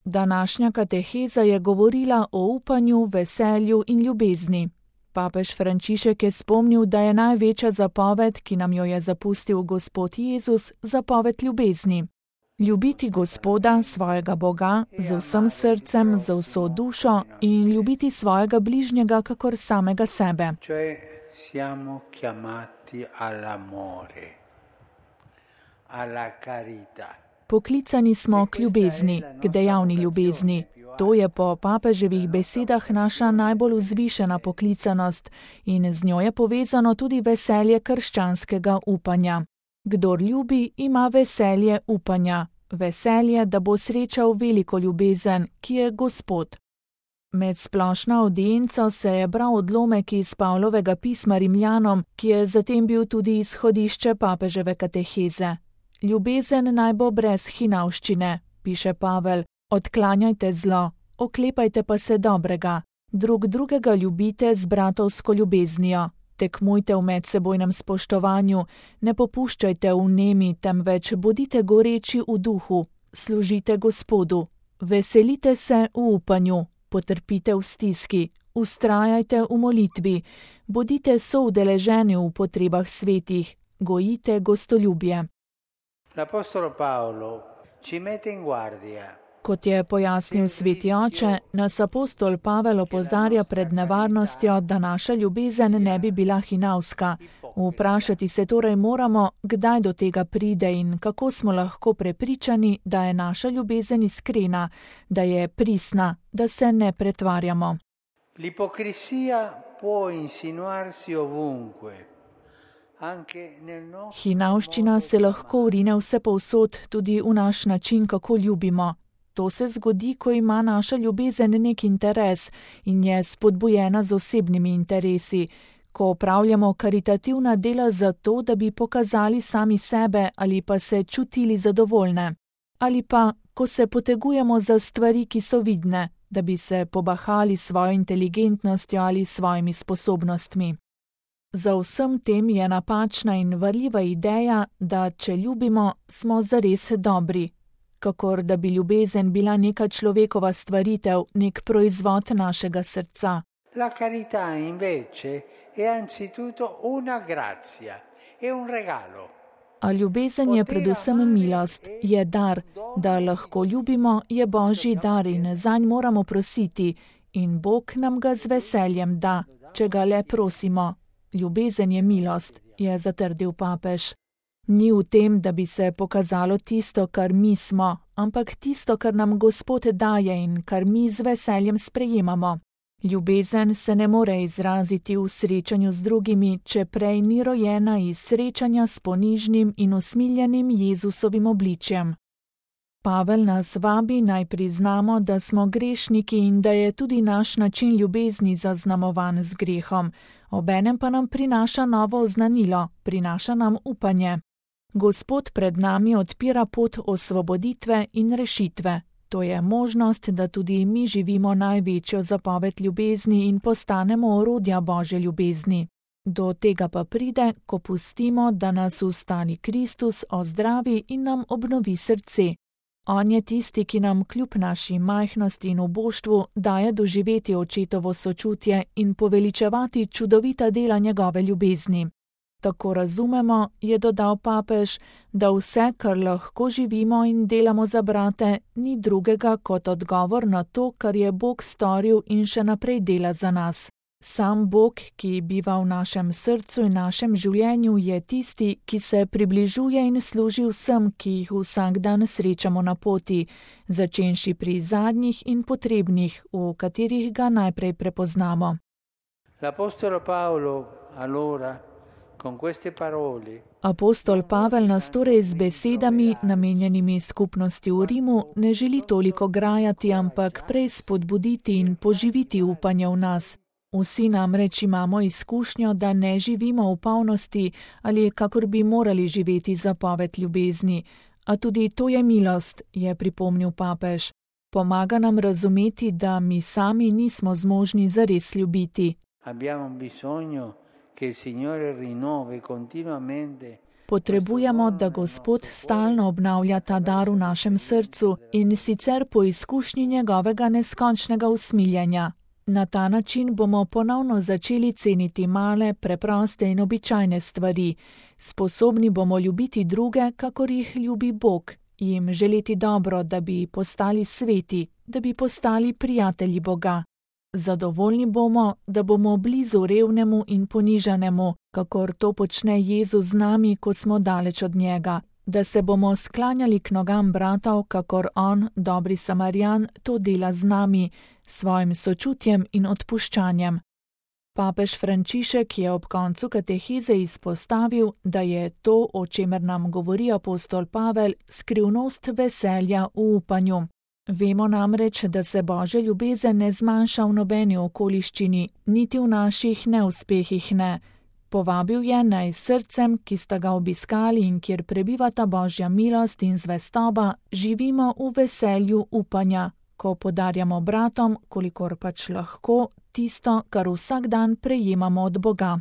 Današnja kateheza je govorila o upanju, veselju in ljubezni. Papež Frančišek je spomnil, da je največja zapoved, ki nam jo je zapustil Gospod Jezus, zapoved ljubezni. Ljubiti Gospoda, svojega Boga, z vsem srcem, z vso dušo in ljubiti svojega bližnjega kakor samega sebe. Siamo chiamati all'amore, alla carità. Poklicani smo k ljubezni, k dejavni ljubezni. To je po papeževih besedah naša najbolj vzvišena poklicanost in z njo je povezano tudi veselje krščanskega upanja. Kdor ljubi, ima veselje upanja, veselje, da bo srečal veliko ljubezen, ki je Gospod. Med splošno audienco se je bral odlomek iz Pavlovega pisma Rimljanom, ki je zatem bil tudi izhodišče papeževe kateheze. Ljubezen naj bo brez hinavščine, piše Pavel, odklanjajte zlo, oklepajte pa se dobrega, drug drugega ljubite z bratovsko ljubeznijo, tekmujte v medsebojnem spoštovanju, ne popuščajte v nemi, temveč bodite goreči v duhu, služite Gospodu, veselite se v upanju, potrpite v stiski, vztrajajte v molitvi, bodite soudeleženi v potrebah svetih, gojite gostoljubje. L'Apostolo Paolo ci mette in guardia. Kot je pojasnil sveti oče, nas apostol Pavel opozarja pred nevarnostjo, da naša ljubezen ne bi bila hinavska. Vprašati se torej moramo, kdaj do tega pride in kako smo lahko prepričani, da je naša ljubezen iskrena, da je pristna, da se ne pretvarjamo. L'ipocrisija può insinuarsi ovunque. Hinavščina se lahko vrine vsepovsod, tudi v naš način, kako ljubimo. To se zgodi, ko ima naša ljubezen nek interes in je spodbujena z osebnimi interesi, ko opravljamo karitativna dela zato, da bi pokazali sami sebe ali pa se čutili zadovoljne, ali pa, ko se potegujemo za stvari, ki so vidne, da bi se pobahali svojo inteligentnostjo ali svojimi sposobnostmi. Za vsem tem je napačna in varljiva ideja, da če ljubimo, smo zares dobri, kakor da bi ljubezen bila neka človekova stvaritev, nek proizvod našega srca. La carità invece è anzitutto una grazia, è un regalo. A ljubezen je predvsem milost, je dar, da lahko ljubimo, je Božji dar in zanj moramo prositi in Bog nam ga z veseljem da, če ga le prosimo. Ljubezen je milost, je zatrdil papež. Ni v tem, da bi se pokazalo tisto, kar mi smo, ampak tisto, kar nam Gospod daje in kar mi z veseljem sprejemamo. Ljubezen se ne more izraziti v srečanju z drugimi, če prej ni rojena iz srečanja s ponižnim in usmiljenim Jezusovim obličjem. Pavel nas vabi naj priznamo, da smo grešniki in da je tudi naš način ljubezni zaznamovan z grehom, obenem pa nam prinaša novo oznanilo, prinaša nam upanje. Gospod pred nami odpira pot osvoboditve in rešitve. To je možnost, da tudi mi živimo največjo zapoved ljubezni in postanemo orodja Božje ljubezni. Do tega pa pride, ko pustimo, da nas ustali Kristus ozdravi in nam obnovi srce. On je tisti, ki nam kljub naši majhnosti in uboštvu daje doživeti očetovo sočutje in poveličevati čudovita dela njegove ljubezni. Tako razumemo, je dodal papež, da vse, kar lahko živimo in delamo za brate, ni drugega kot odgovor na to, kar je Bog storil in še naprej dela za nas. Sam Bog, ki biva v našem srcu in našem življenju, je tisti, ki se približuje in služi vsem, ki jih vsak dan srečamo na poti, začenši pri zadnjih in potrebnih, v katerih ga najprej prepoznamo. L'Apostolo Paolo, allora, con queste parole, Apostol Pavel nas torej z besedami, namenjenimi skupnosti v Rimu, ne želi toliko grajati, ampak prej spodbuditi in poživiti upanje v nas. Vsi namreč imamo izkušnjo, da ne živimo v polnosti ali kakor bi morali živeti zapoved ljubezni. A tudi to je milost, je pripomnil papež. Pomaga nam razumeti, da mi sami nismo zmožni zares ljubiti. Abbiamo bisogno che il Signore rinnovi continuamente Potrebujemo, da Gospod stalno obnavlja ta dar v našem srcu in sicer po izkušnji njegovega neskončnega usmiljenja. Na ta način bomo ponovno začeli ceniti male, preproste in običajne stvari. Sposobni bomo ljubiti druge, kakor jih ljubi Bog, jim želeti dobro, da bi postali sveti, da bi postali prijatelji Boga. Zadovoljni bomo, da bomo blizu revnemu in ponižanemu, kakor to počne Jezus z nami, ko smo daleč od njega, da se bomo sklanjali k nogam bratov, kakor on, dobri Samarjan, to dela z nami, svojim sočutjem in odpuščanjem. Papež Frančišek je ob koncu kateheze izpostavil, da je to, o čemer nam govori apostol Pavel, skrivnost veselja v upanju. Vemo namreč, da se Božja ljubezen ne zmanjša v nobeni okoliščini, niti v naših neuspehih ne. Povabil je naj s srcem, ki sta ga obiskali in kjer prebivata Božja milost in zvestoba, živimo v veselju upanja, ko podarjamo bratom, kolikor pač lahko, tisto, kar vsak dan prejemamo od Boga.